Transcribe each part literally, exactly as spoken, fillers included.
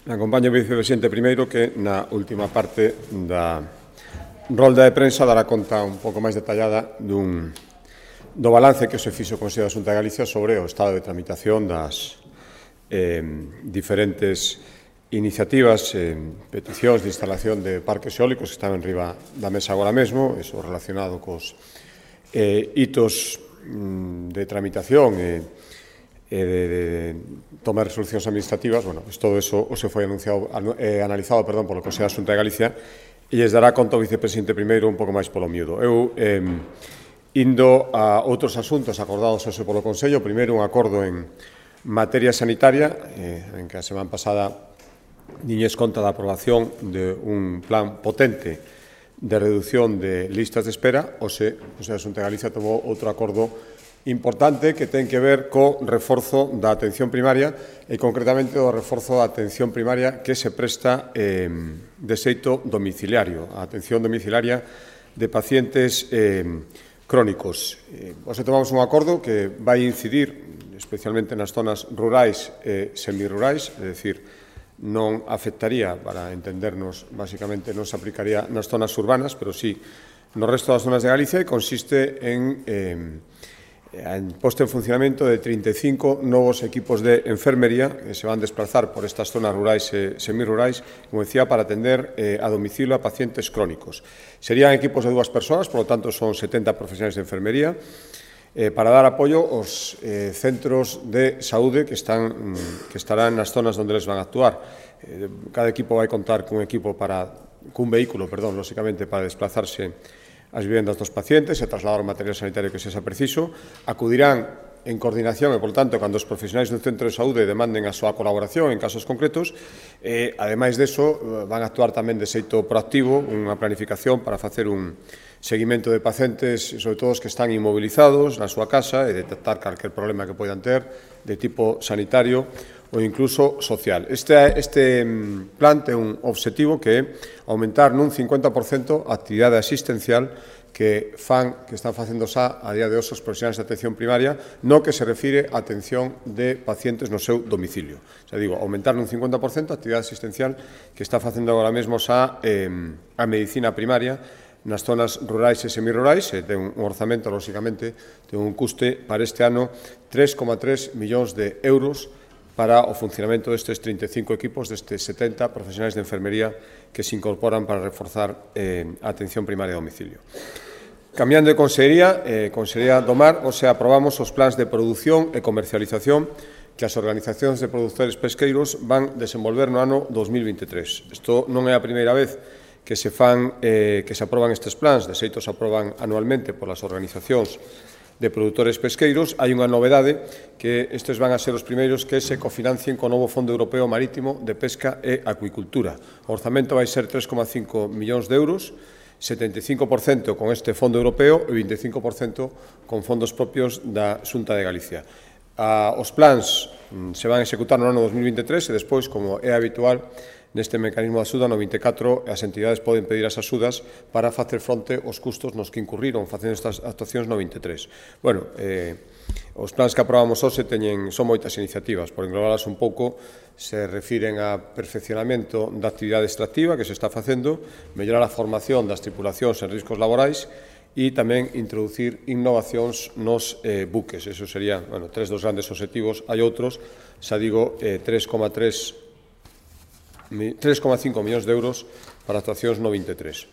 Me acompaña o vicepresidente primeiro que na última parte da rolda de prensa dará conta un pouco máis detallada dun, do balance que se fixo o Consello da Xunta de Galicia sobre o estado de tramitación das eh, diferentes iniciativas, eh, peticións de instalación de parques eólicos que están en riba da mesa agora mesmo, eso relacionado cos eh, hitos mm, de tramitación e eh, e de, de tomar resolucións administrativas, bueno, pues todo eso o se foi anunciado, eh, analizado perdón, polo Consello da Xunta de Galicia e lles dará conta o vicepresidente primeiro un pouco máis polo miúdo. Eu, eh, indo a outros asuntos acordados hoxe polo Consello, primeiro un acordo en materia sanitaria, eh, en que a semana pasada diñes conta da aprobación de un plan potente de reducción de listas de espera, hoxe o Consello da Xunta de Galicia tomou outro acordo importante que ten que ver co reforzo da atención primaria e concretamente o reforzo da atención primaria que se presta eh, de xeito domiciliario, a atención domiciliaria de pacientes eh, crónicos. Eh, hoxe tomamos un acordo que vai incidir especialmente nas zonas rurais e semirurais, é dicir, non afectaría, para entendernos, basicamente non se aplicaría nas zonas urbanas, pero sí no resto das zonas de Galicia e consiste en eh, en posto en funcionamento de trinta e cinco novos equipos de enfermería que se van a desplazar por estas zonas rurais e semirurais, como decía, para atender eh, a domicilio a pacientes crónicos. Serían equipos de dúas persoas, por lo tanto son setenta profesionales de enfermería, eh, para dar apoio aos eh, centros de saúde que, están, que estarán nas zonas onde les van a actuar. Eh, cada equipo vai contar cun equipo para, cun vehículo, perdón, lóxicamente, para desplazarse as vivendas dos pacientes e trasladar o material sanitario que sexa preciso, acudirán en coordinación e, por tanto, cando os profesionais do centro de saúde demanden a súa colaboración en casos concretos, e, ademais deso, van a actuar tamén de xeito proactivo, unha planificación para facer un seguimento de pacientes, sobre todo os que están inmovilizados na súa casa e detectar calquer problema que poidan ter de tipo sanitario ou incluso social. Este, este plan ten un obxectivo que é aumentar nun cincuenta por cento a actividade asistencial que fan, que están facendo xa a día de hoxe os profesionais de atención primaria no que se refire a atención de pacientes no seu domicilio. O sea, digo, aumentar nun cincuenta por cento a actividade asistencial que está facendo agora mesmo xa eh, a medicina primaria nas zonas rurais e semirurais, e ten un orzamento, lóxicamente, ten un custe para este ano tres coma tres millóns de euros para o funcionamento destes trinta e cinco equipos, destes setenta profesionais de enfermería que se incorporan para reforzar eh, a atención primaria a domicilio. Cambiando de consellería, eh, Consellería do Mar, o sea, aprobamos os plans de produción e comercialización que as organizacións de produtores pesqueiros van desenvolver no ano dos mil vinte e tres. Isto non é a primeira vez que se fan, eh, que se aproban estes plans, de xeito se aproban anualmente polas organizacións de produtores pesqueiros. Hai unha novedade que estes van a ser os primeiros que se cofinancien co novo Fondo Europeo Marítimo de Pesca e Acuicultura. O orzamento vai ser tres coma cinco millóns de euros, setenta e cinco por cento con este Fondo Europeo e vinte e cinco por cento con fondos propios da Xunta de Galicia. Ah, os plans mm, se van a executar no ano dos mil vinte e tres e despois, como é habitual, neste mecanismo de axuda no vinte e catro as entidades poden pedir as axudas para facer fronte aos custos nos que incurriron facendo estas actuacións no vinte e tres. Bueno, eh, os plans que aprobamos hoxe teñen, son moitas iniciativas, por englobalas un pouco, se refiren a perfeccionamento da actividade extractiva que se está facendo, mellorar a formación das tripulacións en riscos laborais e tamén introducir innovacións nos eh, buques. Eso serían, bueno, tres dos grandes obxectivos. Hai outros, xa digo, eh, tres coma cinco millóns de euros para actuacións no vinte e tres.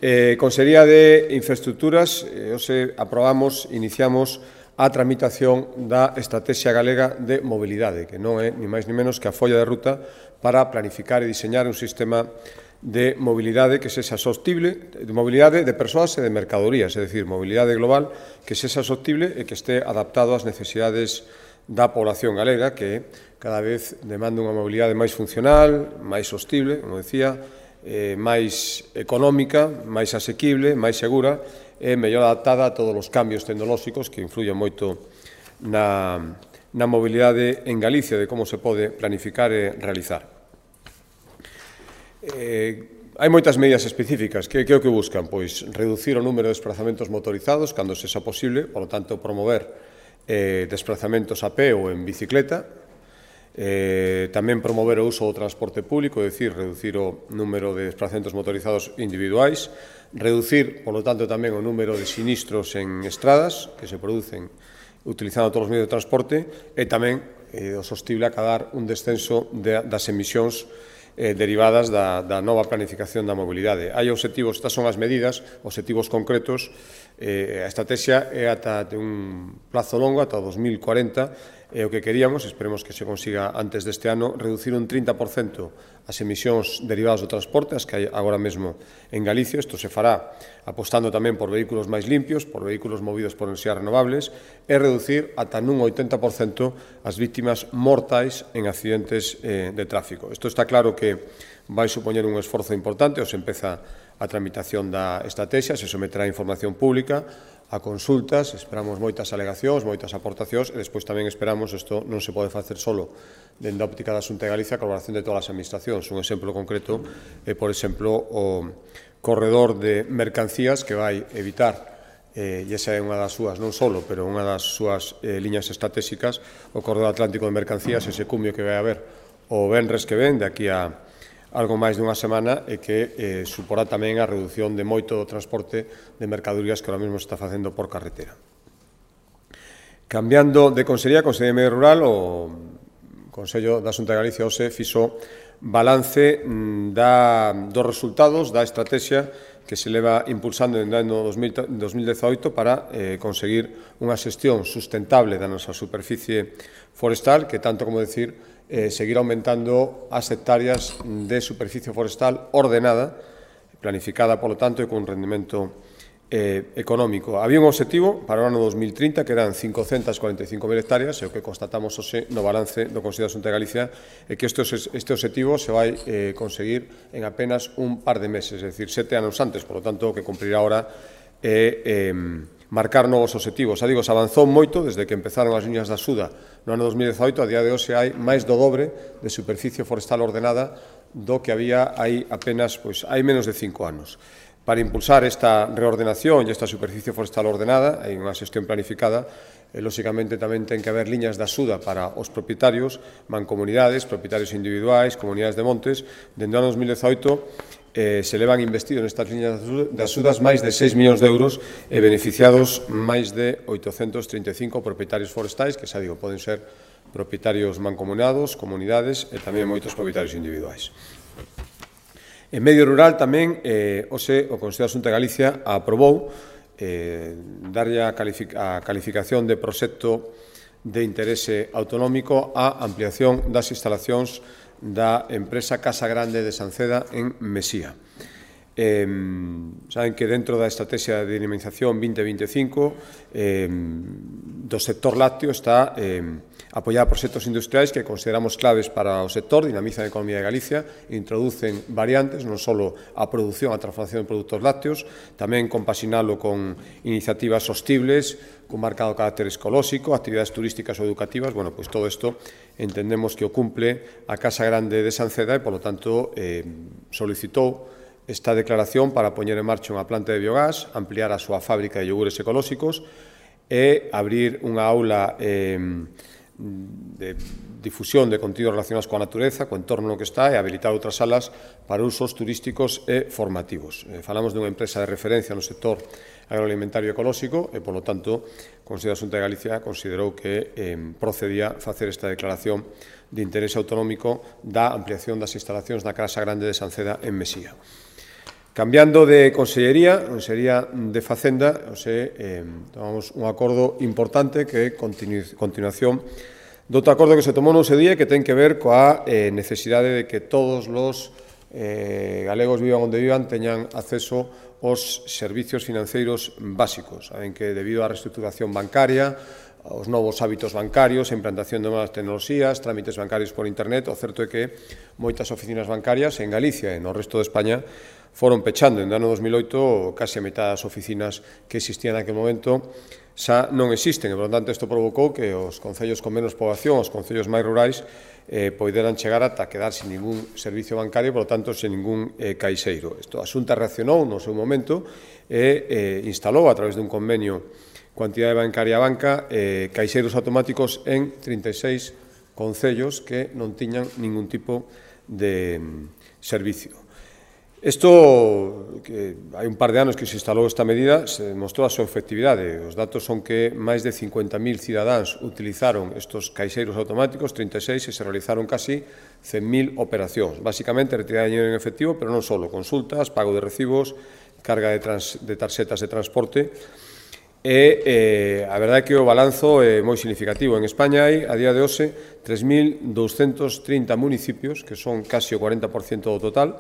Eh, Consellería de Infraestructuras, eh, hoxe aprobamos, iniciamos a tramitación da Estrategia Galega de Mobilidade, que non é ni máis ni menos que a folla de ruta para planificar e diseñar un sistema de mobilidade que sexa sostible, de mobilidade de persoas e de mercadorías, é dicir, mobilidade global que sexa sostible e que este adaptado ás necesidades da población galega, que cada vez demanda unha mobilidade máis funcional, máis sostible, como decía, eh, máis económica, máis asequible, máis segura e mellor adaptada a todos os cambios tecnolóxicos que influyen moito na, na mobilidade en Galicia, de como se pode planificar e realizar. Eh, hai moitas medidas específicas que, que é o que buscan, pois reducir o número de desplazamentos motorizados cando sexa posible, por lo tanto promover eh, desplazamentos a pé ou en bicicleta, Eh, tamén promover o uso do transporte público, é dicir, reducir o número de desplazamentos motorizados individuais, reducir, por lo tanto, tamén o número de sinistros en estradas que se producen utilizando todos os medios de transporte e tamén eh, o sostible acadar un descenso de, das emisións eh, derivadas da, da nova planificación da mobilidade. Hai obxectivos, estas son as medidas, obxectivos concretos, eh, a estrategia é ata de un plazo longo, ata o dos mil cuarenta, e o que queríamos, esperemos que se consiga antes deste ano, reducir un trinta por cento as emisións derivadas do transporte, as que hai agora mesmo en Galicia. Isto se fará apostando tamén por vehículos máis limpios, por vehículos movidos por enerxías renovables, e reducir ata nun oitenta por cento as víctimas mortais en accidentes eh, de tráfico. Isto está claro que vai supoñer un esforzo importante, os empeza a tramitación da estrategia, se someterá a información pública, a consultas, esperamos moitas alegacións, moitas aportacións, e despois tamén esperamos, isto non se pode facer solo dende a óptica da Xunta de Galicia, a colaboración de todas as administracións. Un exemplo concreto é, por exemplo, o corredor de mercancías que vai evitar, eh, e esa é unha das súas, non solo, pero unha das súas eh, liñas estratégicas, o corredor atlántico de mercancías, ese cumio que vai haber o venres que ven, de aquí a algo máis dunha semana, e que eh, suporá tamén a reducción de moito do transporte de mercadorías que ahora mesmo se está facendo por carretera. Cambiando de Consellería, a Consellería de Medio Rural, o Consello da Xunta de Galicia hoxe fixo balance da, dos resultados da estrategia que se leva impulsando en o ano dos mil dezaoito para eh, conseguir unha xestión sustentable da nosa superficie forestal, que tanto como decir, Eh, seguir aumentando as hectáreas de superficie forestal ordenada, planificada, polo tanto, e con un rendimento eh, económico. Había un objetivo para o ano dos mil trinta que eran cincocentas cuarenta e cinco mil hectáreas, e o que constatamos hoxe no balance do Consello da Xunta de Galicia é que este, este objetivo se vai eh, conseguir en apenas un par de meses, é dicir, sete anos antes, polo tanto, o que cumprirá ahora é eh, marcar novos obxectivos. Xa digo, se avanzou moito desde que empezaron as liñas da Suda no ano dos mil dezaoito, a día de hoxe hai máis do dobre de superficie forestal ordenada do que había hai apenas, pois, hai menos de cinco anos. Para impulsar esta reordenación e esta superficie forestal ordenada, hai unha xestión planificada, e, lóxicamente, tamén ten que haber liñas da Suda para os propietarios, mancomunidades, propietarios individuais, comunidades de montes. Dende o ano dos mil dezaoito, Eh, se levan investido nestas liñas das Sudas máis de seis millóns de euros e beneficiados máis de oitocentos trinta e cinco propietarios forestais, que, xa digo, poden ser propietarios mancomunados, comunidades e tamén moitos propietarios individuais. En medio rural tamén, eh, hoxe, o Consello da Xunta de Galicia aprobou eh, darlle a, calific a calificación de proxecto de interese autonómico á ampliación das instalacións da empresa Casa Grande de Sanceda en Mesía. Eh, saben que dentro da estrategia de dinamización vinte veinticinco eh, do sector lácteo está eh, apoiar proxectos industriais que consideramos claves para o sector, dinamizan a economía de Galicia, introducen variantes, non só a produción, a transformación de produtos lácteos, tamén compaxinalo con iniciativas sostibles, con marcado carácter ecolóxico, actividades turísticas ou educativas. Bueno, pois todo isto entendemos que o cumple a Casa Grande de Sanceda e, polo tanto, eh, solicitou esta declaración para poñer en marcha unha planta de biogás, ampliar a súa fábrica de iogures ecolóxicos e abrir unha aula eh, de difusión de contidos relacionados coa natureza, co entorno no que está, e habilitar outras salas para usos turísticos e formativos. Eh, falamos dunha empresa de referencia no sector agroalimentario ecolóxico e, polo tanto, o Consello da Xunta de Galicia considerou que eh, procedía facer esta declaración de interese autonómico da ampliación das instalacións da Casa Grande de Sanceda en Mesía. Cambiando de consellería, Consellería de Facenda, o sea, eh, tomamos un acordo importante que é continu continuación do outro acordo que se tomou no ese día, que ten que ver coa eh, necesidade de que todos os eh, galegos, vivan onde vivan, teñan acceso aos servicios financeiros básicos. Saben que, debido á reestructuración bancaria, os novos hábitos bancarios, a implantación de novas tecnoloxías, trámites bancarios por internet, o certo é que moitas oficinas bancarias en Galicia e no resto de España foron pechando. En o ano dos mil oito, case a metade das oficinas que existían naquele momento xa non existen, e, por lo tanto, isto provocou que os concellos con menos poboación, os concellos máis rurais, eh, poderan chegar ata quedar sin ningún servicio bancario, por lo tanto, sin ningún eh, caixeiro. Isto, a Xunta reaccionou no seu momento e eh, instalou, a través dun convenio coa entidade bancaria Banca, eh, caixeiros automáticos en trinta e seis concellos que non tiñan ningún tipo de servicio. Isto, que hai un par de anos que se instalou esta medida, se demostrou a súa efectividade. Os datos son que máis de cincuenta mil cidadáns utilizaron estes caixeiros automáticos, trinta e seis, e se realizaron casi cen mil operacións. Básicamente, retirada de dinheiro en efectivo, pero non só, consultas, pago de recibos, carga de, trans, de tarxetas de transporte. E eh, a verdade é que o balanzo é moi significativo. En España hai, a día de hoxe, tres mil douscentos trinta municipios, que son casi o cuarenta por cento do total,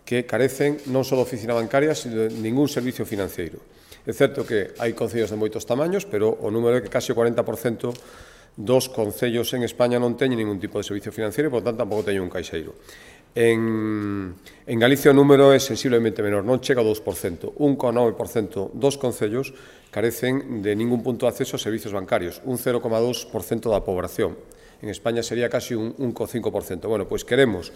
que carecen non só de oficina bancaria, sino de ningún servicio financeiro. É certo que hai concellos de moitos tamaños, pero o número é que casi o cuarenta por cento dos concellos en España non teñen ningún tipo de servicio financeiro, e, por tanto, tampouco teñen un caixeiro. En, en Galicia o número é sensiblemente menor, non chega ao dous por cento. un coma nove por cento dos concellos carecen de ningún punto de acceso a servicios bancarios, un cero coma dos por cento da poboación. En España sería casi un un coma cinco por cento. Bueno, pois queremos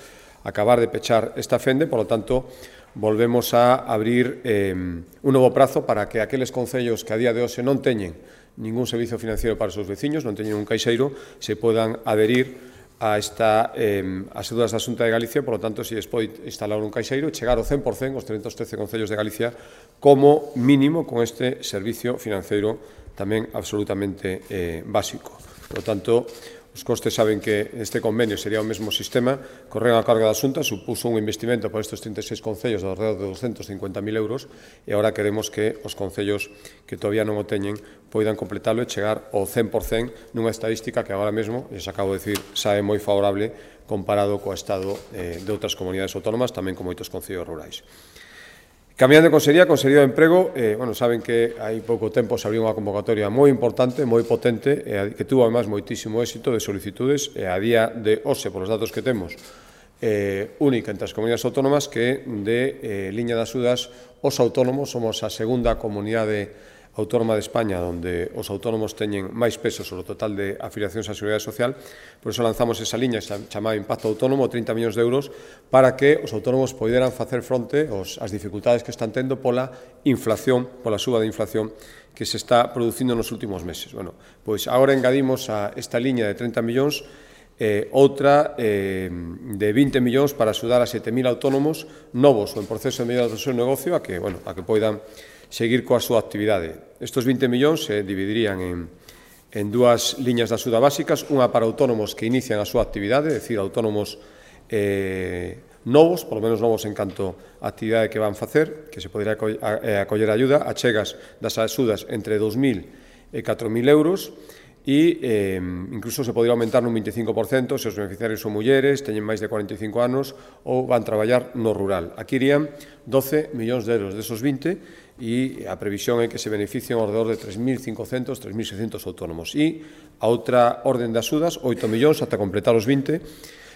acabar de pechar esta fende, por lo tanto, volvemos a abrir eh, un novo prazo para que aqueles concellos que a día de hoxe non teñen ningún servicio financiero para os seus veciños, non teñen un caixeiro, se podan adherir a esta, eh, as axudas da Xunta de Galicia, por lo tanto, se pode instalar un caixeiro e chegar ao cen por cento os trescentos trece concellos de Galicia como mínimo con este servicio financeiro tamén absolutamente eh, básico. Por lo tanto, os costes saben que este convenio sería o mesmo sistema, corren a carga da Xunta, supuso un investimento por estes trinta e seis concellos de alrededor de doscentos cincuenta mil euros, e agora queremos que os concellos que todavía non o teñen poidan completalo e chegar ao cen por cento nunha estadística que agora mesmo, les acabo de dicir, sabe moi favorable comparado co estado eh, de outras comunidades autónomas, tamén con moitos concellos rurais. Cambiando de Consellería, Consellería de Emprego, eh, bueno, saben que hai pouco tempo se abriu unha convocatoria moi importante, moi potente, eh, que tuvo, además, moitísimo éxito de solicitudes, e eh, a día de hoxe, por os datos que temos, eh, única entre as comunidades autónomas, que de eh, liña de axudas os autónomos somos a segunda comunidade autónoma de España onde os autónomos teñen máis peso sobre o total de afiliacións á Seguridade Social. Por iso lanzamos esa liña chamada Impacto Autónomo, trinta millóns de euros, para que os autónomos poderan facer fronte ás dificultades que están tendo pola inflación, pola suba de inflación que se está producindo nos últimos meses. Bueno, pois agora engadimos a esta liña de trinta millóns eh, outra eh, de vinte millóns para axudar a sete mil autónomos novos ou en proceso de mellora do seu negocio a que, bueno, a que poidan seguir coa súa actividade. Estes vinte millóns se dividirían en, en dúas liñas de axuda básicas, unha para autónomos que inician a súa actividade, é dicir, autónomos eh, novos, polo menos novos en canto a actividade que van facer, que se poderá acoller ayuda, achegas das axudas entre dous mil e catro mil euros, e eh, incluso se podría aumentar nun veinticinco por cento se os beneficiarios son mulleres, teñen máis de cuarenta e cinco anos ou van traballar no rural. Aquí irían doce millóns de euros desos vinte, e a previsión é que se beneficien ao redor de tres mil cincocentos, tres mil seiscentos autónomos. E a outra orden de axudas, oito millóns, ata completar os vinte,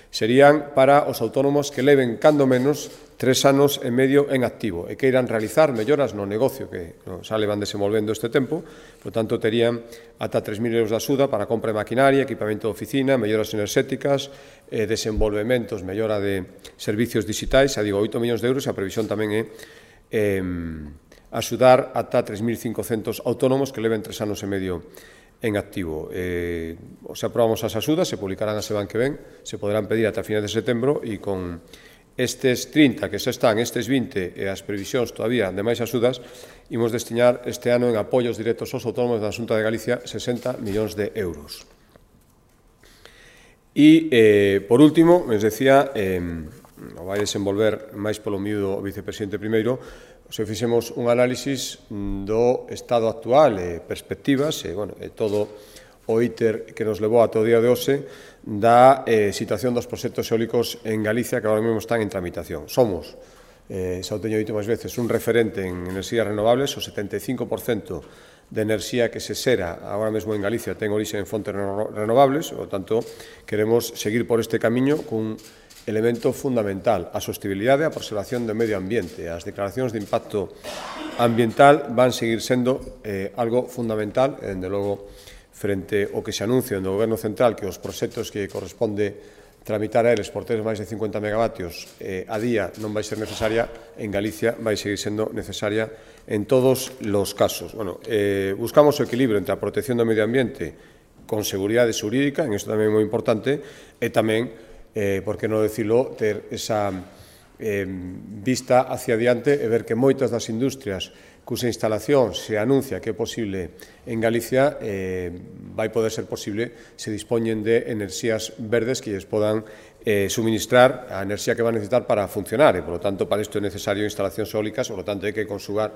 serían para os autónomos que leven, cando menos, tres anos e medio en activo e que irán realizar melloras no negocio que xa levan desenvolvendo este tempo. Por tanto, terían ata tres mil euros de axuda para compra de maquinaria, equipamento de oficina, melloras enerxéticas, eh, desenvolvementos, mellora de servicios digitais, xa digo, oito millóns de euros, e a previsión tamén é eh, axudar ata tres mil cincocentos autónomos que leven tres anos e medio en activo. Eh, se aprobamos as axudas, se publicarán a semana que ven, se poderán pedir ata finais de setembro, e con estes trinta que xa están, estes vinte e as previsións todavía de máis axudas, imos destinar este ano en apoios directos aos autónomos da Xunta de Galicia sesenta millóns de euros. E, eh, por último, les decía, eh, o vai desenvolver máis polo miúdo o vicepresidente primeiro, se fixemos un análisis do estado actual e perspectivas, e, bueno, e todo o íter que nos levou ata o día de hoxe da eh, situación dos proxectos eólicos en Galicia que agora mesmo están en tramitación. Somos, eh, xa o teño dito máis veces, un referente en enerxías renovables, o setenta e cinco por cento de enerxía que se xera agora mesmo en Galicia ten orixe en fontes renovables, por tanto, queremos seguir por este camiño cun elemento fundamental, a sostenibilidade e a preservación do medio ambiente. As declaracións de impacto ambiental van seguir sendo eh, algo fundamental, e, dende logo, frente ao que se anuncia do Goberno Central, que os proxectos que corresponde tramitar a eles por ter máis de cincuenta megavatios eh, a día non vai ser necesaria, en Galicia vai seguir sendo necesaria en todos os casos. Bueno, eh, buscamos o equilibrio entre a protección do medio ambiente con seguridade xurídica, en isto tamén é moi importante, e tamén, eh, por que non decirlo, ter esa eh, vista hacia adiante e ver que moitas das industrias cusa instalación se anuncia que é posible en Galicia, eh, vai poder ser posible se dispoñen de enerxías verdes que lles podan eh, suministrar a enerxía que van a necesitar para funcionar, e, por lo tanto, para isto é necesario instalacións eólicas, por lo tanto, hai que consugar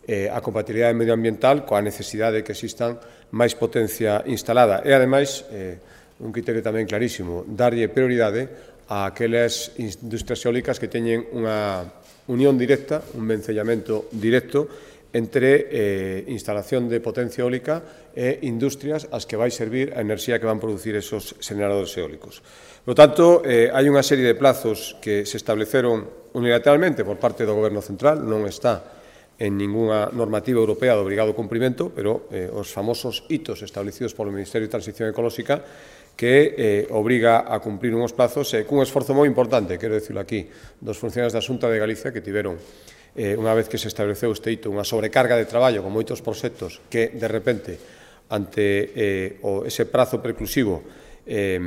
eh, a compatibilidade medioambiental coa necesidade de que existan máis potencia instalada. E, ademais, eh, un criterio tamén clarísimo, darlle prioridade a aquelas industrias eólicas que teñen unha unión directa, un vencellamento directo entre eh, instalación de potencia eólica e industrias ás que vai servir a enerxía que van producir esos xeneradores eólicos. Por lo tanto, eh, hai unha serie de plazos que se estableceron unilateralmente por parte do Goberno Central, non está en ninguna normativa europea de obrigado cumprimento, pero eh, os famosos hitos establecidos polo Ministerio de Transición Ecolóxica que eh, obriga a cumprir unhos plazos e eh, cun esforzo moi importante, quero dicirlo aquí, dos funcionarios da Xunta de Galicia que tiveron, eh, unha vez que se estableceu este hito, unha sobrecarga de traballo con moitos proxectos que, de repente, ante eh, o, ese prazo preclusivo, eh,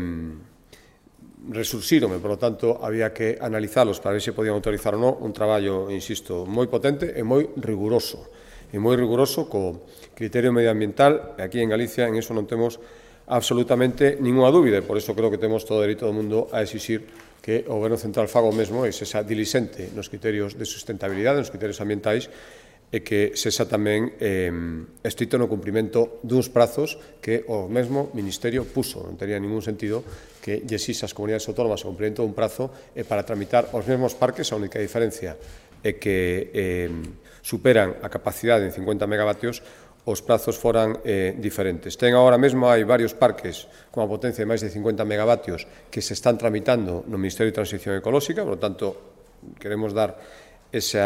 resurxiron, e, por lo tanto, había que analizalos para ver se podían autorizar ou non, un traballo, insisto, moi potente e moi riguroso, e moi riguroso co criterio medioambiental, e aquí en Galicia en eso non temos absolutamente ninguna dúbida, e por iso creo que temos todo o dereito do mundo a exixir que o Goberno Central faga o mesmo e sexa dilisente nos criterios de sustentabilidade, nos criterios ambientais, e que sexa tamén eh, estrito no cumprimento duns prazos que o mesmo Ministerio puso. Non tería ningún sentido que lle exixa as comunidades autónomas o cumprimento dun prazo e para tramitar os mesmos parques a única diferencia é que eh, superan a capacidade en cincuenta megavatios, os prazos foran eh, diferentes. Ten agora mesmo, hai varios parques con a potencia de máis de cincuenta megavatios que se están tramitando no Ministerio de Transición Ecolóxica, por lo tanto, queremos dar ese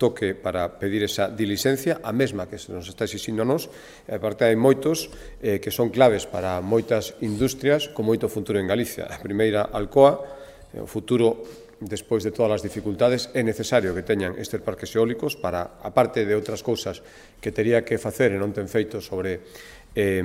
toque para pedir esa diligencia, a mesma que se nos está exixindo a nos, e aparte hai moitos eh, que son claves para moitas industrias con moito futuro en Galicia. A primeira, Alcoa, o futuro, despois de todas as dificultades, é necesario que teñan estes parques eólicos para, aparte de outras cousas que tería que facer e non ten feito sobre eh,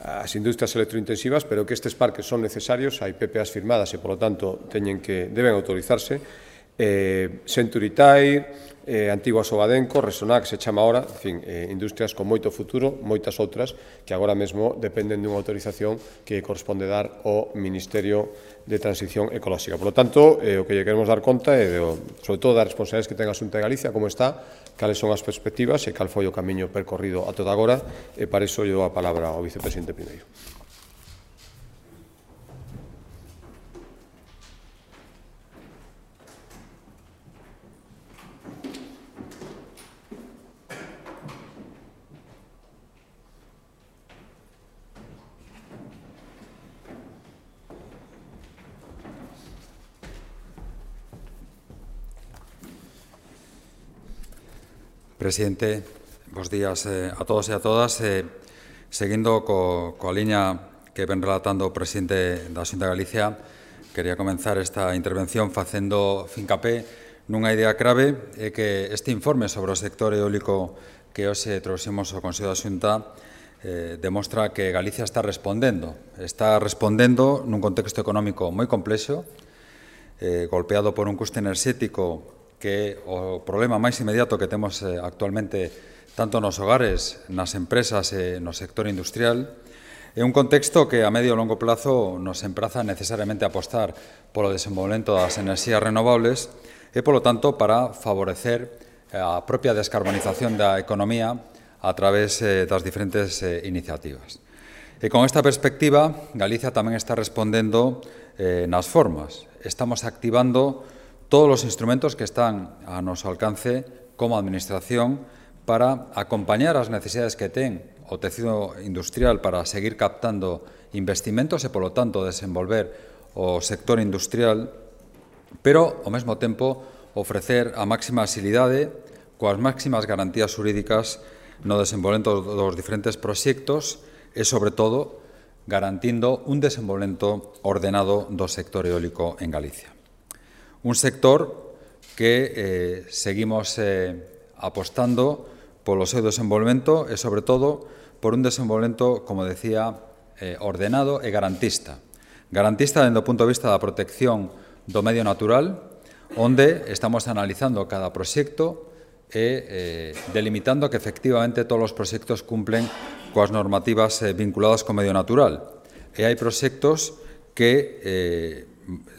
as industrias electrointensivas, pero que estes parques son necesarios, hai P P As firmadas e, por lo tanto, teñen que, deben autorizarse. Eh, Century Tire, eh, Antigua Sobadenco, Resonac, se chama ahora, en fin, eh, industrias con moito futuro, moitas outras, que agora mesmo dependen dunha autorización que corresponde dar ao Ministerio de Transición Ecolóxica. Por lo tanto, eh, o que lle queremos dar conta é, de, sobre todo, das responsabilidades que ten a Xunta de Galicia, como está, cales son as perspectivas e cal foi o camiño percorrido a toda agora, e para iso lle dou a palabra ao vicepresidente primeiro. Presidente, bos días eh, a todos e a todas. Eh, seguindo co, coa liña que ven relatando o presidente da Xunta de Galicia, quería comenzar esta intervención facendo fincapé nunha idea clave, é que este informe sobre o sector eólico que hoxe trouxemos ao Consello da Xunta eh, demostra que Galicia está respondendo. Está respondendo nun contexto económico moi complexo, eh, golpeado por un custe enerxético que o problema máis inmediato que temos eh, actualmente tanto nos hogares, nas empresas e no sector industrial, é un contexto que a medio e longo plazo nos empraza necesariamente a apostar polo desenvolvemento das enerxías renovables e, polo tanto, para favorecer a propia descarbonización da economía a través eh, das diferentes eh, iniciativas. E con esta perspectiva, Galicia tamén está respondendo eh, nas formas. Estamos activando todos os instrumentos que están a noso alcance como Administración para acompañar as necesidades que ten o tecido industrial para seguir captando investimentos e, polo tanto, desenvolver o sector industrial, pero, ao mesmo tempo, ofrecer a máxima axilidade coas máximas garantías xurídicas no desenvolvemento dos diferentes proxectos e, sobre todo, garantindo un desenvolvemento ordenado do sector eólico en Galicia. Un sector que eh, seguimos eh, apostando polo seu desenvolvemento e, sobre todo, por un desenvolvemento, como decía, eh, ordenado e garantista. Garantista dende o punto de vista da protección do medio natural, onde estamos analizando cada proxecto e eh, delimitando que efectivamente todos os proxectos cumplen coas normativas eh, vinculadas co medio natural. E hai proxectos que eh,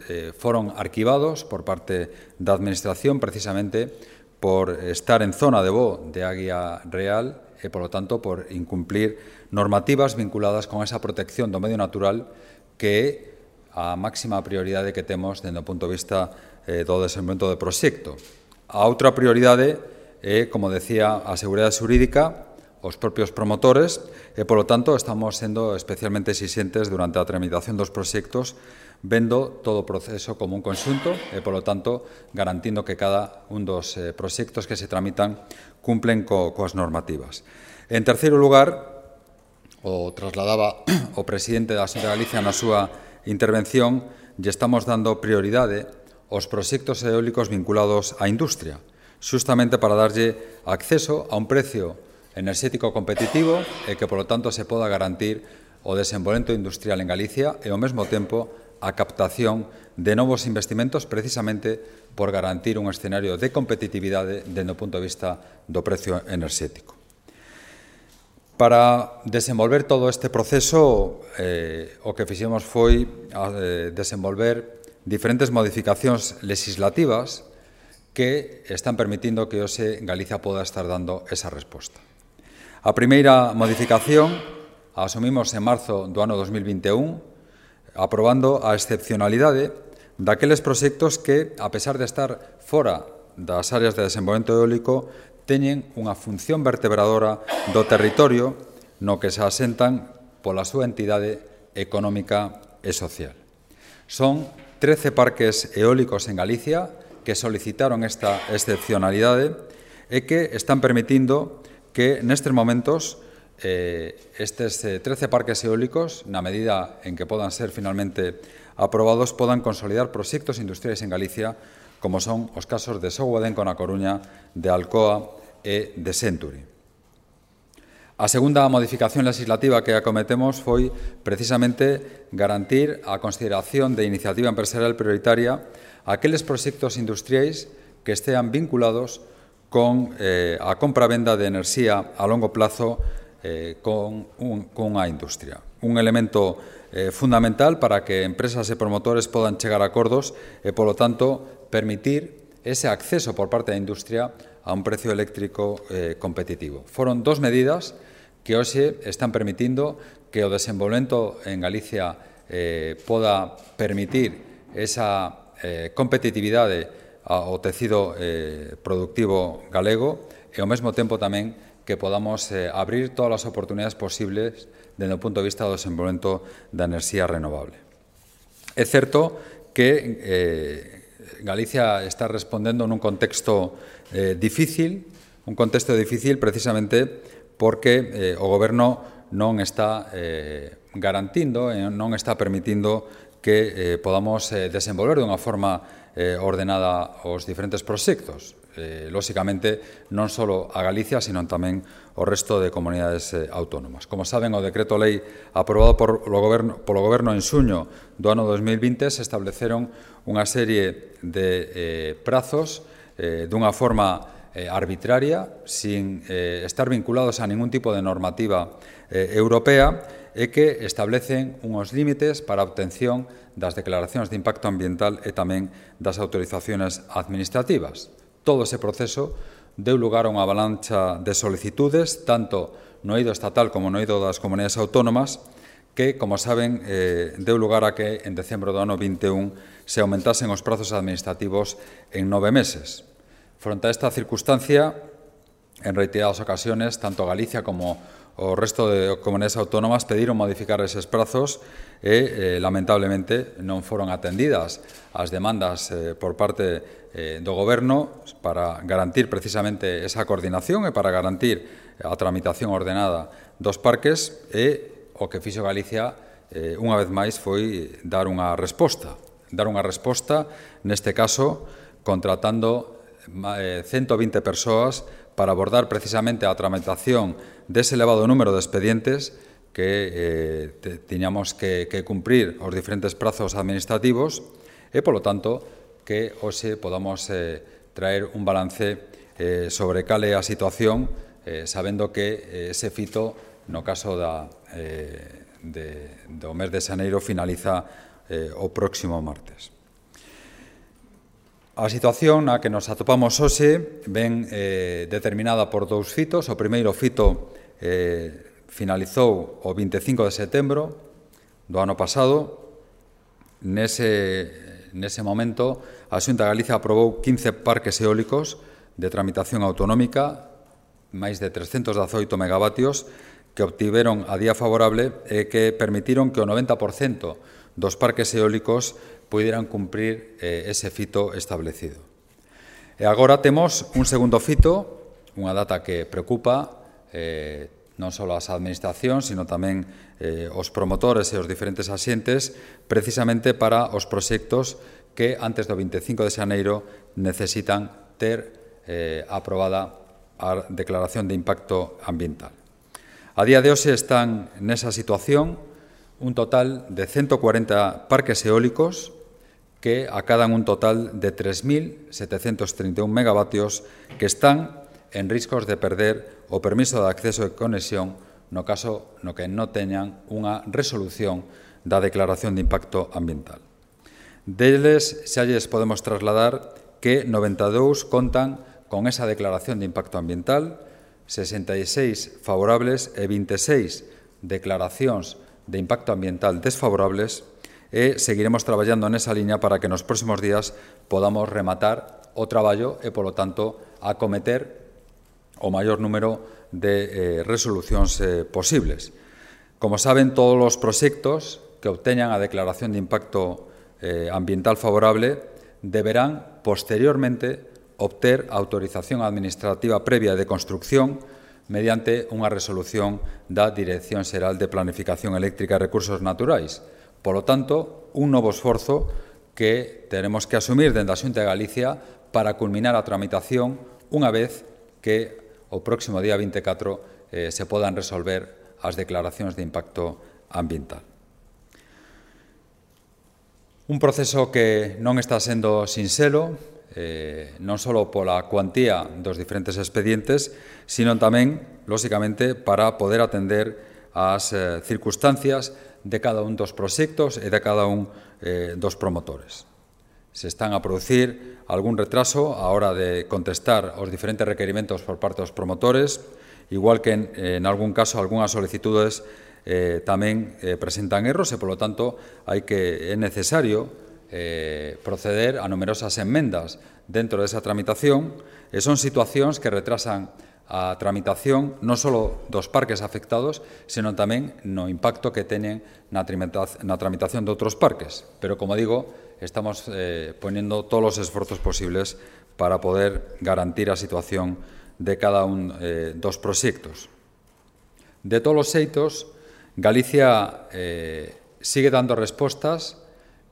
eh, foron arquivados por parte da Administración precisamente por estar en zona de voo de Águia Real e, polo tanto, por incumplir normativas vinculadas con esa protección do medio natural que é a máxima prioridade que temos dende o punto de vista eh, do desenvolvemento do proxecto. A outra prioridade é, como decía, a seguridade xurídica, os propios promotores, e, polo tanto, estamos sendo especialmente exixentes durante a tramitación dos proxectos, vendo todo o proceso como un conxunto e, polo tanto, garantindo que cada un dos eh, proxectos que se tramitan cumplen co, coas normativas. En terceiro lugar, o trasladaba o presidente da Xunta de Galicia na súa intervención, lle estamos dando prioridade aos proxectos eólicos vinculados á industria, xustamente para darlle acceso a un precio enerxético competitivo e que, polo tanto, se poda garantir o desenvolvemento industrial en Galicia e, ao mesmo tempo, a captación de novos investimentos precisamente por garantir un escenario de competitividade dende o punto de vista do precio enerxético. Para desenvolver todo este proceso, eh, o que fixemos foi eh, desenvolver diferentes modificacións legislativas que están permitindo que hoxe Galicia poda estar dando esa resposta. A primeira modificación a asumimos en marzo do ano dos mil vinte e un, aprobando a excepcionalidade daqueles proxectos que, a pesar de estar fora das áreas de desenvolvemento eólico, teñen unha función vertebradora do territorio no que se asentan pola súa entidade económica e social. Son trece parques eólicos en Galicia que solicitaron esta excepcionalidade e que están permitindo que nestes momentos eh, estes eh, trece parques eólicos, na medida en que podan ser finalmente aprobados, podan consolidar proxectos industriais en Galicia, como son os casos de Soguadenco na Coruña, de Alcoa e de Century. A segunda modificación legislativa que acometemos foi precisamente garantir a consideración de iniciativa empresarial prioritaria a aqueles proxectos industriais que estean vinculados con eh, a compra-venda de enerxía a longo plazo eh, con, un, con unha industria. Un elemento eh, fundamental para que empresas e promotores podan chegar a acordos e, polo tanto, permitir ese acceso por parte da industria a un precio eléctrico eh, competitivo. Foron dos medidas que hoxe están permitindo que o desenvolvemento en Galicia eh, poda permitir esa eh, competitividade ao tecido eh, productivo galego e, ao mesmo tempo, tamén que podamos eh, abrir todas as oportunidades posibles dende o punto de vista do desenvolvemento da enerxía renovable. É certo que eh, Galicia está respondendo nun contexto eh, difícil, un contexto difícil precisamente porque eh, o Goberno non está eh, garantindo e non está permitindo que eh, podamos eh, desenvolver dunha forma eh, ordenada os diferentes proxectos. Eh, lóxicamente, non só a Galicia, sino tamén o resto de comunidades eh, autónomas. Como saben, o decreto lei aprobado por o goberno, polo Goberno en xuño do ano dos mil vinte se estableceron unha serie de eh, prazos eh, dunha forma eh, arbitraria, sin eh, estar vinculados a ningún tipo de normativa eh, europea, e que establecen unhos límites para a obtención das declaracións de impacto ambiental e tamén das autorizacións administrativas. Todo ese proceso deu lugar a unha avalancha de solicitudes, tanto no eido estatal como no eido das comunidades autónomas, que, como saben, eh, deu lugar a que en decembro do ano vinte e un se aumentasen os prazos administrativos en nove meses. Fronte a esta circunstancia, en reiteradas ocasións, tanto Galicia como o resto de comunidades autónomas pediron modificar eses prazos e, eh, lamentablemente, non foron atendidas as demandas eh, por parte eh, do Goberno para garantir precisamente esa coordinación e para garantir a tramitación ordenada dos parques e o que fixo Galicia, eh, unha vez máis, foi dar unha resposta. Dar unha resposta, neste caso, contratando eh, ciento vinte persoas para abordar precisamente a tramitación dese elevado número de expedientes que eh, te, tiñamos que, que cumprir os diferentes prazos administrativos e, polo tanto, que hoxe podamos eh, traer un balance eh, sobre cal é a situación, eh, sabendo que eh, ese fito, no caso da, eh, de, do mes de xaneiro, finaliza eh, o próximo martes. A situación na que nos atopamos hoxe ven eh, determinada por dous fitos. O primeiro fito eh, finalizou o vinte e cinco de setembro do ano pasado. Nese, nese momento, a Xunta de Galicia aprobou quince parques eólicos de tramitación autonómica, máis de trescentos dezaoito megavatios, que obtiveron a día favorable e que permitiron que o noventa por cento dos parques eólicos pudieran cumprir eh, ese fito establecido. E agora temos un segundo fito, unha data que preocupa eh, non só as administracións, sino tamén eh, os promotores e os diferentes asientes, precisamente para os proxectos que antes do vinte e cinco de xaneiro necesitan ter eh, aprobada a declaración de impacto ambiental. A día de hoxe están nesa situación un total de ciento cuarenta parques eólicos que acadan un total de tres mil setecentos trinta e un megavatios que están en riscos de perder o permiso de acceso e conexión no caso no que non teñan unha resolución da declaración de impacto ambiental. Deles xa lles podemos trasladar que noventa e dous contan con esa declaración de impacto ambiental, sesenta e seis favorables e vinte e seis declaracións de impacto ambiental desfavorables, e seguiremos traballando nesa liña para que nos próximos días podamos rematar o traballo e, polo tanto, acometer o maior número de eh, resolucións eh, posibles. Como saben, todos os proxectos que obteñan a declaración de impacto eh, ambiental favorable deberán, posteriormente, obter autorización administrativa previa de construcción mediante unha resolución da Dirección Xeral de Planificación Eléctrica e Recursos Naturais. Polo tanto, un novo esforzo que teremos que asumir dende a Xunta de Galicia para culminar a tramitación unha vez que o próximo día vinte e catro eh, se podan resolver as declaracións de impacto ambiental. Un proceso que non está sendo sinxelo, eh, non só pola cuantía dos diferentes expedientes, sino tamén, lóxicamente, para poder atender as eh, circunstancias de cada un dos proxectos e de cada un eh, dos promotores. Se están a producir algún retraso á hora de contestar aos diferentes requerimentos por parte dos promotores, igual que en, en algún caso algunhas solicitudes eh, tamén eh, presentan erros e, polo tanto, hai que é necesario eh, proceder a numerosas enmendas dentro desa tramitación e son situacións que retrasan a tramitación non só dos parques afectados, senón tamén no impacto que teñen na tramitación de outros parques. Pero, como digo, estamos eh, ponendo todos os esforzos posibles para poder garantir a situación de cada un eh, dos proxectos. De todos os xeitos, Galicia eh, sigue dando respostas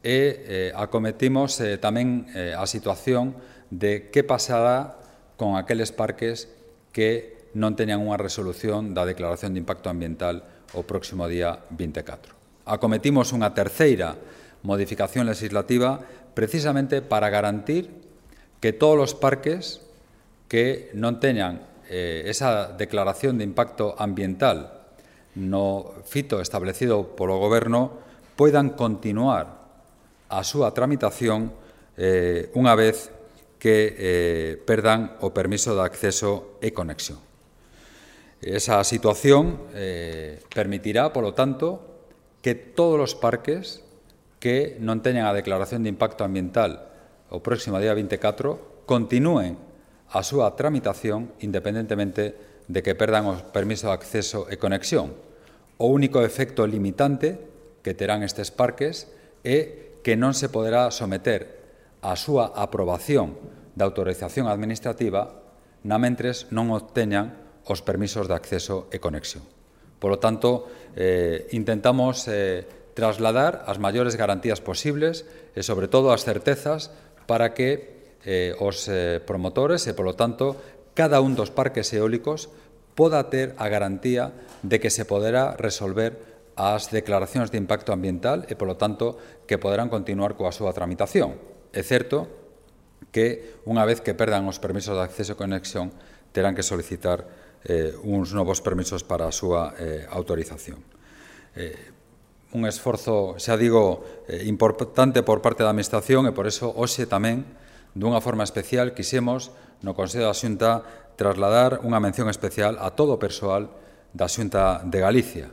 e eh, acometimos eh, tamén eh, a situación de que pasará con aqueles parques que non teñan unha resolución da declaración de impacto ambiental o próximo día vinte e catro. Acometimos unha terceira modificación legislativa precisamente para garantir que todos os parques que non teñan eh, esa declaración de impacto ambiental no fito establecido polo Goberno poidan continuar a súa tramitación eh, unha vez que eh, perdan o permiso de acceso e conexión. Esa situación eh, permitirá, polo tanto, que todos os parques que non teñan a declaración de impacto ambiental o próximo día vinte e catro continúen a súa tramitación independentemente de que perdan o permiso de acceso e conexión. O único efecto limitante que terán estes parques é que non se poderá someter a súa aprobación da autorización administrativa na mentres non obteñan os permisos de acceso e conexión. Por lo tanto, eh, intentamos eh, trasladar as maiores garantías posibles e, sobre todo, as certezas para que eh, os eh, promotores e, por lo tanto, cada un dos parques eólicos poda ter a garantía de que se poderá resolver as declaracións de impacto ambiental e, polo tanto, que poderán continuar coa súa tramitación. É certo que, unha vez que perdan os permisos de acceso e conexión, terán que solicitar eh, uns novos permisos para a súa eh, autorización. Eh, un esforzo, xa digo, eh, importante por parte da Administración e, por eso, hoxe tamén, dunha forma especial, quixemos, no Consello da Xunta, trasladar unha mención especial a todo o persoal da Xunta de Galicia,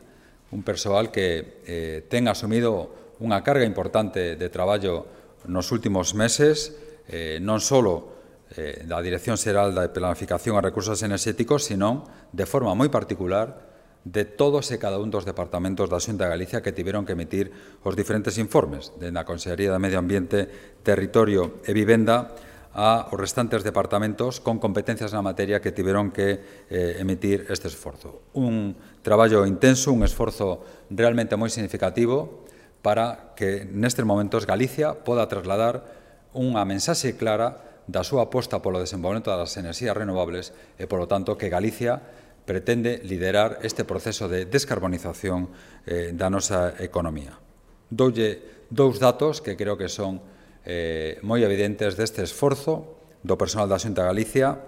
un persoal que eh, ten asumido unha carga importante de traballo nos últimos meses, eh, non só eh, da Dirección Xeral de Planificación e Recursos Enerxéticos, sino, de forma moi particular, de todos e cada un dos departamentos da Xunta de Galicia que tiveron que emitir os diferentes informes, dende a Consellería de Medio Ambiente, Territorio e Vivenda, a os restantes departamentos con competencias na materia que tiveron que eh, emitir este esforzo. Un traballo intenso, un esforzo realmente moi significativo para que nestes momentos Galicia poda trasladar unha mensaxe clara da súa aposta polo desenvolvemento das enerxías renovables e, polo tanto, que Galicia pretende liderar este proceso de descarbonización eh, da nosa economía. Doulle dous datos que creo que son Eh, moi evidentes deste esforzo do personal da Xunta de Galicia.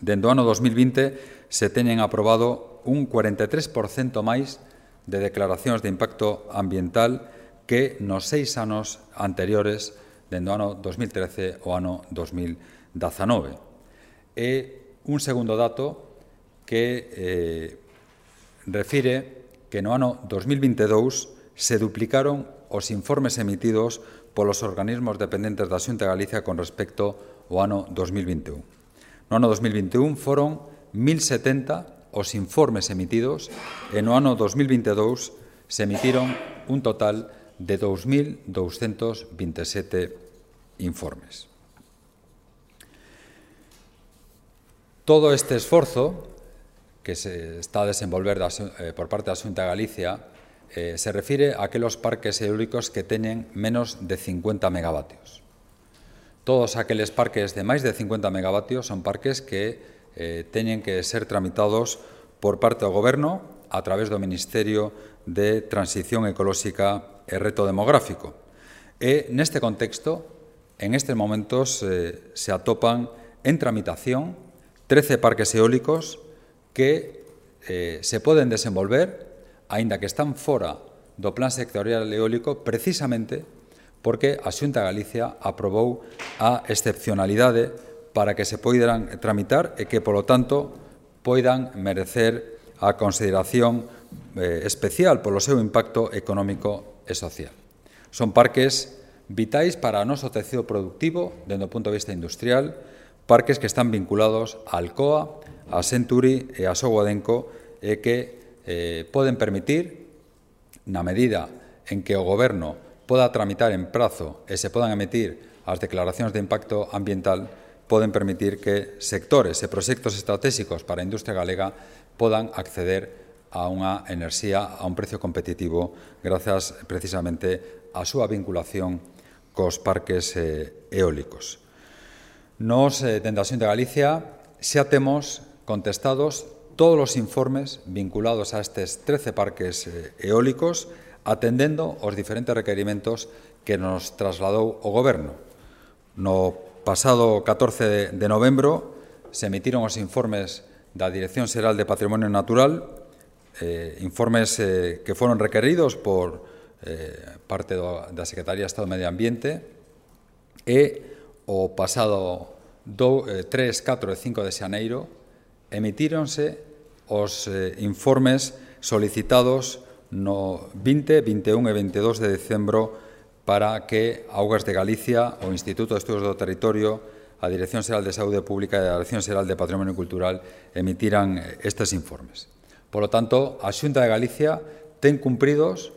Dende o ano dos mil vinte se teñen aprobado un cuarenta e tres por cento máis de declaracións de impacto ambiental que nos seis anos anteriores, dende o ano dos mil trece ao ano dos mil dezanove. E un segundo dato que eh, refire que no ano dos mil vinte e dous se duplicaron os informes emitidos polos organismos dependentes da Xunta de Galicia con respecto ao ano dos mil vinte e un. No ano dos mil vinte e un foron mil setenta os informes emitidos e no ano dos mil vinte e dous se emitiron un total de dous mil douscentos vinte e sete informes. Todo este esforzo que se está a desenvolver da, eh, por parte da Xunta de Galicia Eh, se refire a aqueles parques eólicos que teñen menos de cincuenta megavatios. Todos aqueles parques de máis de cincuenta megavatios son parques que eh, teñen que ser tramitados por parte do Goberno a través do Ministerio de Transición Ecolóxica e Reto Demográfico. E, neste contexto, en estes momentos eh, se atopan en tramitación trece parques eólicos que eh, se poden desenvolver aínda que están fora do Plan Sectorial Eólico, precisamente porque a Xunta de Galicia aprobou a excepcionalidade para que se poidan tramitar e que, polo tanto, poidan merecer a consideración eh, especial polo seu impacto económico e social. Son parques vitais para o noso tecido productivo, dende o punto de vista industrial, parques que están vinculados a Alcoa, a Century e a Sogodenco e que Eh, poden permitir, na medida en que o Goberno poda tramitar en prazo e se podan emitir as declaracións de impacto ambiental, poden permitir que sectores e proxectos estratégicos para a industria galega podan acceder a unha enerxía a un precio competitivo grazas precisamente á súa vinculación cos parques eh, eólicos. Nos, eh, dende a Xunta de Galicia, xa temos contestados todos os informes vinculados a estes trece parques eólicos, atendendo os diferentes requerimentos que nos trasladou o Goberno. No pasado catorce de novembro se emitiron os informes da Dirección Xeral de Patrimonio Natural, eh, informes eh, que foron requeridos por eh, parte do, da Secretaría de Estado de Medio Ambiente, e o pasado do, eh, tres, catro e cinco de xaneiro emitíronse os eh, informes solicitados no vinte, vinte e un e vinte e dous de decembro para que Augas de Galicia, o Instituto de Estudos do Territorio, a Dirección Xeral de Saúde Pública e a Dirección Xeral de Patrimonio Cultural emitiran estes informes. Por lo tanto, a Xunta de Galicia ten cumpridos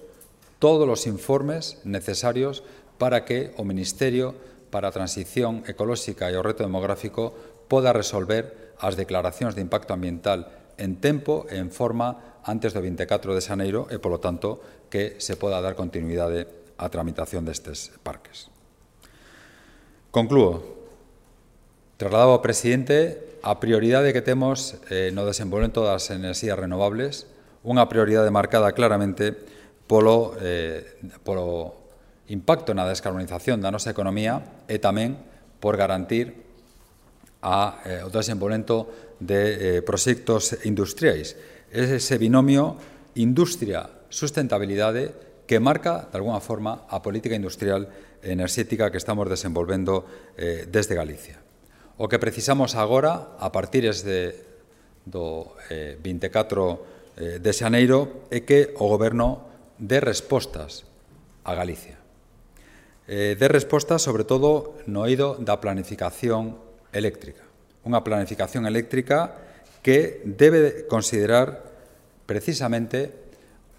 todos os informes necesarios para que o Ministerio para a Transición Ecolóxica e o Reto Demográfico poda resolver as declaracións de impacto ambiental en tempo e en forma antes do vinte e catro de xaneiro e, polo tanto, que se poda dar continuidade á tramitación destes parques. Conclúo. Trasladaba ao presidente a prioridade que temos eh, no desenvolvemento das enerxías renovables, unha prioridade marcada claramente polo, eh, polo impacto na descarbonización da nosa economía e tamén por garantir a, eh, o desenvolvemento de eh, proxectos industriais. É ese binomio industria-sustentabilidade que marca, de alguna forma, a política industrial e enerxética que estamos desenvolvendo eh, desde Galicia. O que precisamos agora, a partir de, do eh, vinte e catro eh, de xaneiro, é que o Goberno dé respostas a Galicia. Eh, dé respostas, sobre todo, no eido da planificación eléctrica. Unha planificación eléctrica que debe considerar precisamente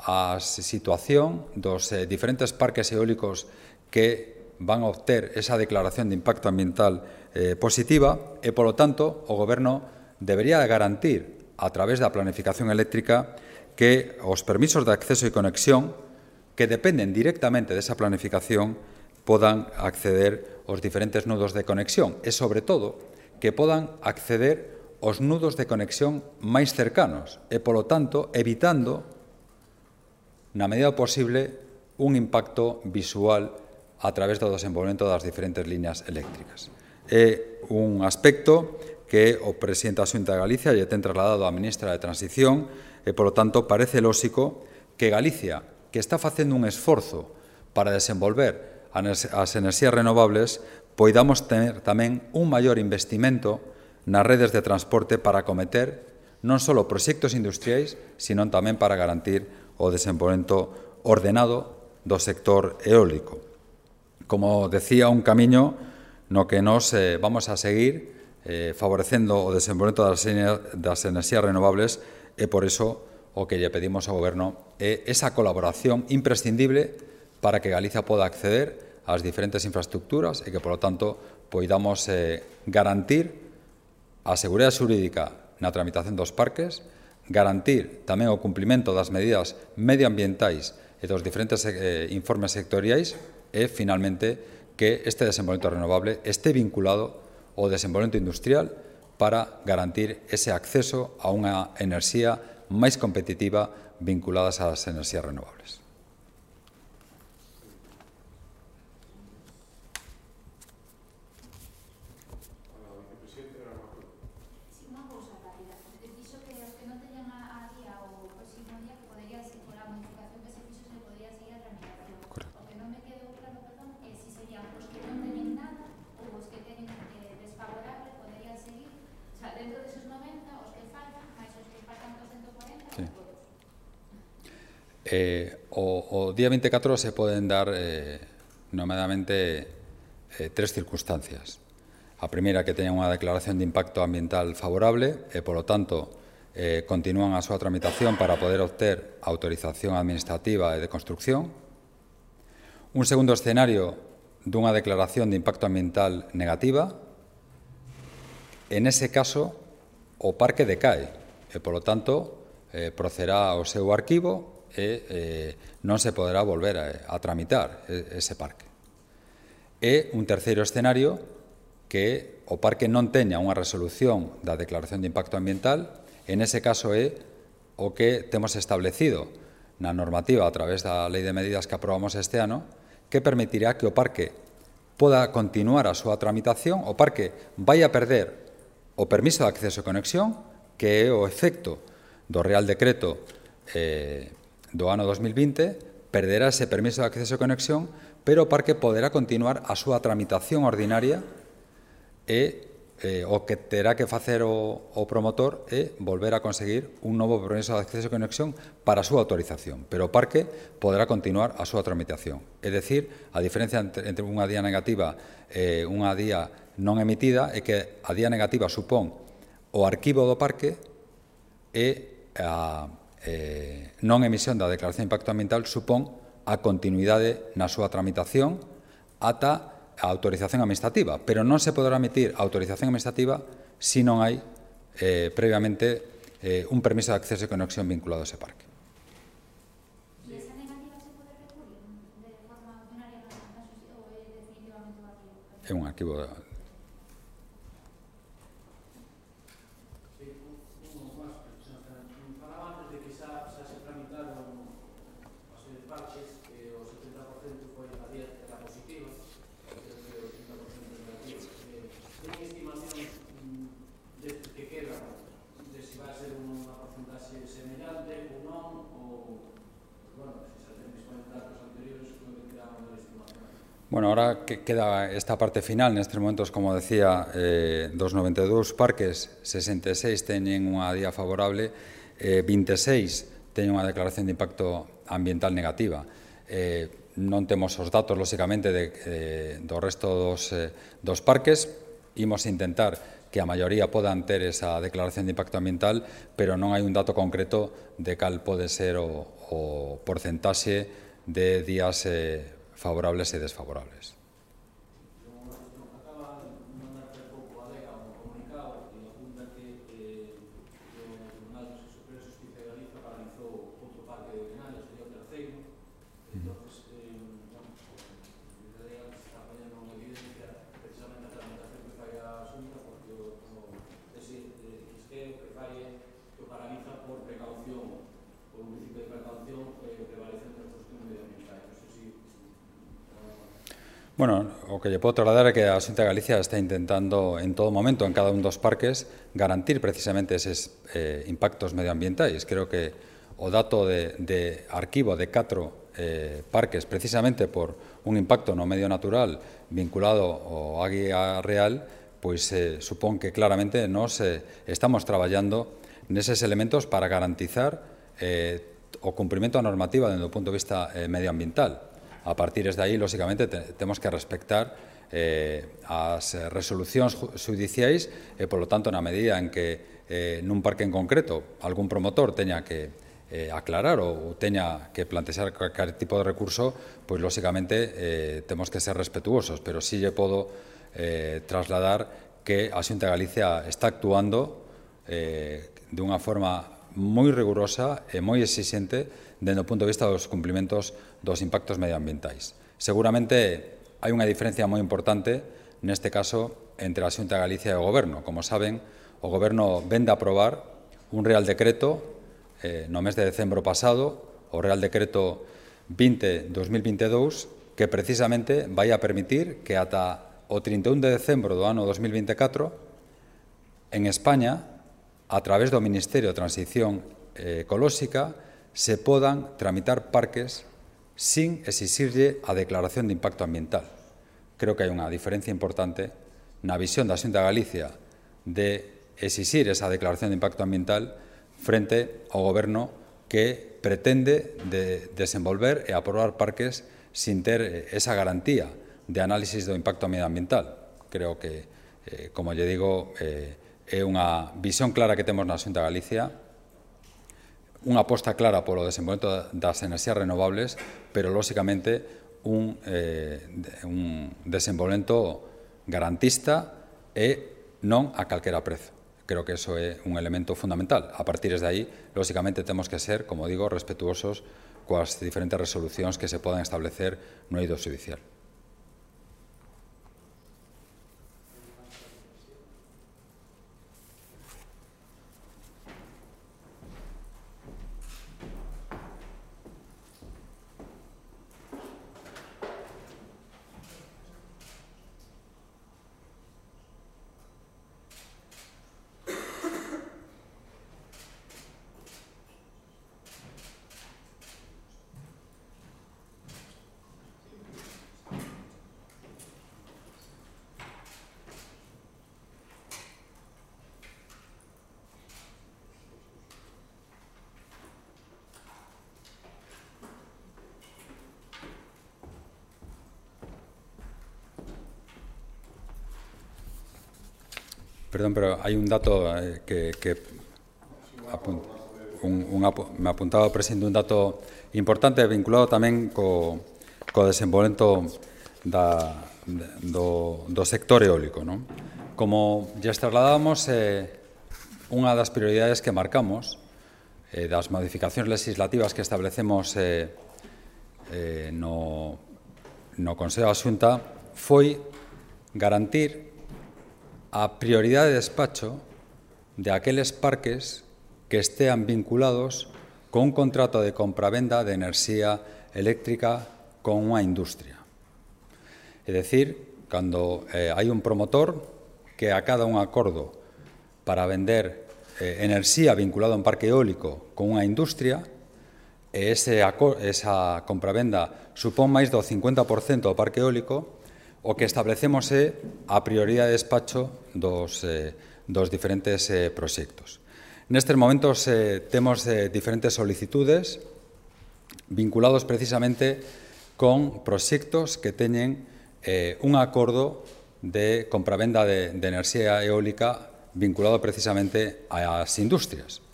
a situación dos eh, diferentes parques eólicos que van a obter esa declaración de impacto ambiental eh, positiva e, polo tanto, o Goberno debería garantir, a través da planificación eléctrica, que os permisos de acceso e conexión que dependen directamente desa planificación podan acceder aos diferentes nudos de conexión e, sobre todo, que podan acceder aos nudos de conexión máis cercanos e, polo tanto, evitando, na medida posible, un impacto visual a través do desenvolvemento das diferentes líneas eléctricas. É un aspecto que o presidente da Xunta de Galicia lle ten trasladado á ministra de Transición e, polo tanto, parece lóxico que Galicia, que está facendo un esforzo para desenvolver as enerxías renovables, poidamos ter tamén un maior investimento nas redes de transporte para acometer non só proxectos industriais, sino tamén para garantir o desenvolvemento ordenado do sector eólico. Como decía, un camiño no que nos eh, vamos a seguir eh, favorecendo o desenvolvemento das, das enerxías renovables e, por iso, o que lle pedimos ao Goberno é esa colaboración imprescindible para que Galicia poda acceder ás diferentes infraestructuras e que, polo tanto, poidamos eh, garantir a seguridade xurídica na tramitación dos parques, garantir tamén o cumprimento das medidas medioambientais e dos diferentes eh, informes sectoriais e, finalmente, que este desenvolvemento renovable este vinculado ao desenvolvemento industrial para garantir ese acceso a unha enerxía máis competitiva vinculadas ás enerxías renovables. Eh, o, o día vinte e catro se poden dar eh, nomeadamente eh, tres circunstancias. A primeira, que teñan unha declaración de impacto ambiental favorable e, polo tanto, eh, continúan a súa tramitación para poder obter autorización administrativa e de construcción. Un segundo escenario dunha declaración de impacto ambiental negativa. En ese caso, o parque decae e, polo tanto, eh, procederá ao seu arquivo e eh, non se poderá volver a, a tramitar ese parque. E un terceiro escenario, que o parque non teña unha resolución da declaración de impacto ambiental, en ese caso é o que temos establecido na normativa a través da Lei de Medidas que aprobamos este ano, que permitirá que o parque poda continuar a súa tramitación, o parque vai a perder o permiso de acceso e conexión, que é o efecto do Real Decreto eh, do ano dos mil vinte, perderá ese permiso de acceso e conexión, pero o parque poderá continuar a súa tramitación ordinaria e eh, o que terá que facer o, o promotor é volver a conseguir un novo permiso de acceso e conexión para a súa autorización, pero o parque poderá continuar a súa tramitación. É dicir, a diferencia entre, entre unha día negativa e unha día non emitida é que a día negativa supón o arquivo do parque e a Eh, non emisión da declaración de impacto ambiental supón a continuidade na súa tramitación ata a autorización administrativa, pero non se poderá emitir a autorización administrativa se non hai eh, previamente eh, un permiso de acceso e conexión vinculado a ese parque. ¿Y esa negativa se pode recurrir de forma ordinaria ou é definitivamente un arquivo? É un arquivo de... Bueno, ahora que queda esta parte final, nestes momentos, como decía, eh, dos noventa e dous parques, sesenta e seis teñen unha día favorable, eh, vinte e seis teñen unha declaración de impacto ambiental negativa. Eh, non temos os datos, lóxicamente, de, eh, do resto dos, eh, dos parques. Imos intentar que a maioría podan ter esa declaración de impacto ambiental, pero non hai un dato concreto de cal pode ser o, o porcentaxe de días eh, favorables e desfavorables. Bueno, o que lle podo trasladar é que a Xunta de Galicia está intentando en todo momento, en cada un dos parques, garantir precisamente eses eh, impactos medioambientais. Creo que o dato de, de arquivo de catro eh, parques, precisamente por un impacto no medio natural vinculado ao Águia Real, pois eh, supón que claramente nos eh, estamos traballando neses elementos para garantizar eh, o cumprimento da normativa desde o punto de vista eh, medioambiental. A partir de aí, lóxicamente, te, temos que respectar eh, as resolucións judiciais e, polo tanto, na medida en que eh, nun parque en concreto algún promotor teña que eh, aclarar ou teña que plantear calquer tipo de recurso, pois, lóxicamente, eh, temos que ser respetuosos, pero sí lle podo eh, trasladar que a Xunta de Galicia está actuando eh, de unha forma moi rigurosa e moi exixente dende o punto de vista dos cumprimentos dos impactos medioambientais. Seguramente hai unha diferencia moi importante neste caso entre a Xunta de Galicia e o Goberno. Como saben, o Goberno vende a aprobar un Real Decreto eh, no mes de decembro pasado, o Real Decreto vinte barra dos mil vinte e dous, que precisamente vai a permitir que ata o trinta e un de decembro do ano dos mil vinte e catro en España, a través do Ministerio de Transición Ecolóxica, se podan tramitar parques sin exixirlle a declaración de impacto ambiental. Creo que hai unha diferencia importante na visión da Xunta de Galicia de exixir esa declaración de impacto ambiental frente ao Goberno que pretende de desenvolver e aprobar parques sin ter esa garantía de análisis do impacto medioambiental. Creo que, eh, como lle digo, eh, é unha visión clara que temos na Xunta de Galicia, unha aposta clara polo desenvolvemento das enerxías renovables, pero, lóxicamente, un, eh, un desenvolvemento garantista e non a calquera prezo. Creo que iso é un elemento fundamental. A partir de aí, lóxicamente, temos que ser, como digo, respetuosos coas diferentes resolucións que se podan establecer no eido xudicial. Perdón, pero hai un dato eh, que, que apun, un, un, me apuntaba o presidente un dato importante vinculado tamén co, co desenvolvemento da, do, do sector eólico. Non? Como ya trasladábamos, eh, unha das prioridades que marcamos eh, das modificacións legislativas que establecemos eh, eh, no, no Consello da Xunta foi garantir a prioridade de despacho de aqueles parques que estean vinculados con un contrato de compravenda de enerxía eléctrica con unha industria. É dicir, cando eh, hai un promotor que acada un acordo para vender eh, enerxía vinculada a un parque eólico con unha industria, e ese, esa compravenda supón máis do cincuenta por cento do parque eólico, o que establecemos é a prioridade de despacho dos, eh, dos diferentes eh, proxectos. Nestes momentos eh, temos eh, diferentes solicitudes vinculados precisamente con proxectos que teñen eh, un acordo de compravenda de, de enerxía eólica vinculado precisamente ás industrias.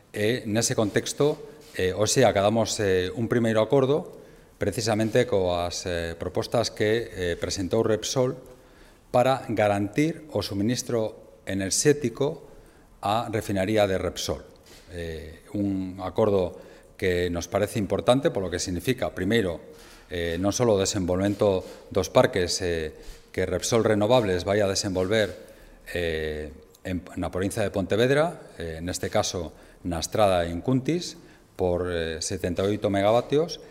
E nese contexto, eh, hoxe acadamos eh, un primeiro acordo precisamente coas eh, propostas que eh, presentou Repsol para garantir o suministro enerxético á refinaría de Repsol. Eh, un acordo que nos parece importante polo que significa, primeiro, eh, non só o desenvolvemento dos parques eh, que Repsol Renovables vai a desenvolver eh, en, na provincia de Pontevedra, eh, neste caso na estrada en Cuntis, por eh, setenta e oito megavatios,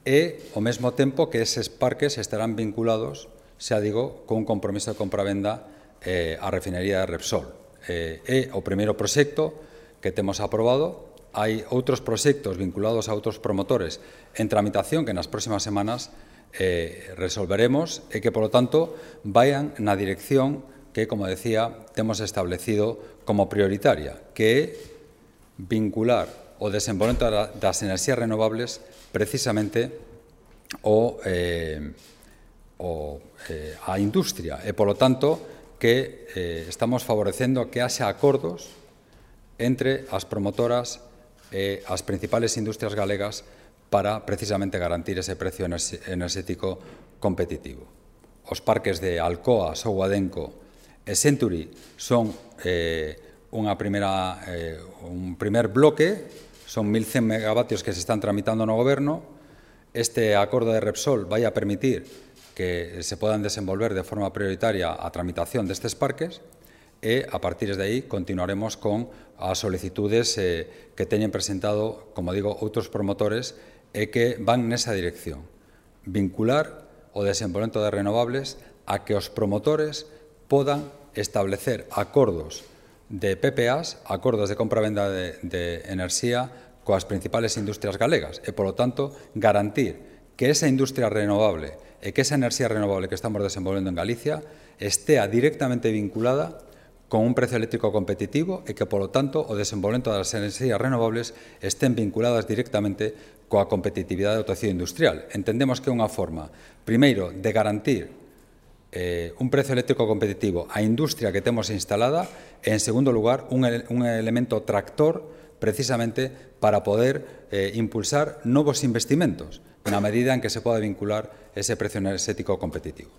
e, ao mesmo tempo, que eses parques estarán vinculados, xa digo, con un compromiso de compravenda eh, á refinería de Repsol. Eh, é o primeiro proxecto que temos aprobado. Hai outros proxectos vinculados a outros promotores en tramitación que nas próximas semanas eh, resolveremos e que, polo tanto, vayan na dirección que, como decía, temos establecido como prioritaria, que é vincular o desenvolvemento das enerxías renovables precisamente o, eh, o, eh, a industria e, polo tanto, que eh, estamos favorecendo que haxa acordos entre as promotoras e as principales industrias galegas para precisamente garantir ese precio enerxético competitivo. Os parques de Alcoa, Souadenco e Century son eh, unha primeira, eh, un primer bloque, son mil cen megavatios que se están tramitando no Goberno. Este acordo de Repsol vai a permitir que se podan desenvolver de forma prioritaria a tramitación destes parques e, a partir de aí, continuaremos con as solicitudes eh, que teñen presentado, como digo, outros promotores e que van nesa dirección. Vincular o desenvolvemento de renovables a que os promotores podan establecer acordos de P P As, acordos de compra-venda de, de enerxía coas principales industrias galegas e, polo tanto, garantir que esa industria renovable e que esa enerxía renovable que estamos desenvolvendo en Galicia estea directamente vinculada con un precio eléctrico competitivo e que, polo tanto, o desenvolvemento das enerxías renovables estén vinculadas directamente coa competitividade do tecido industrial. Entendemos que é unha forma, primeiro, de garantir eh, un precio eléctrico competitivo á industria que temos instalada e, en segundo lugar, un, un elemento tractor precisamente para poder eh, impulsar novos investimentos na medida en que se poda vincular ese precio enerxético competitivo.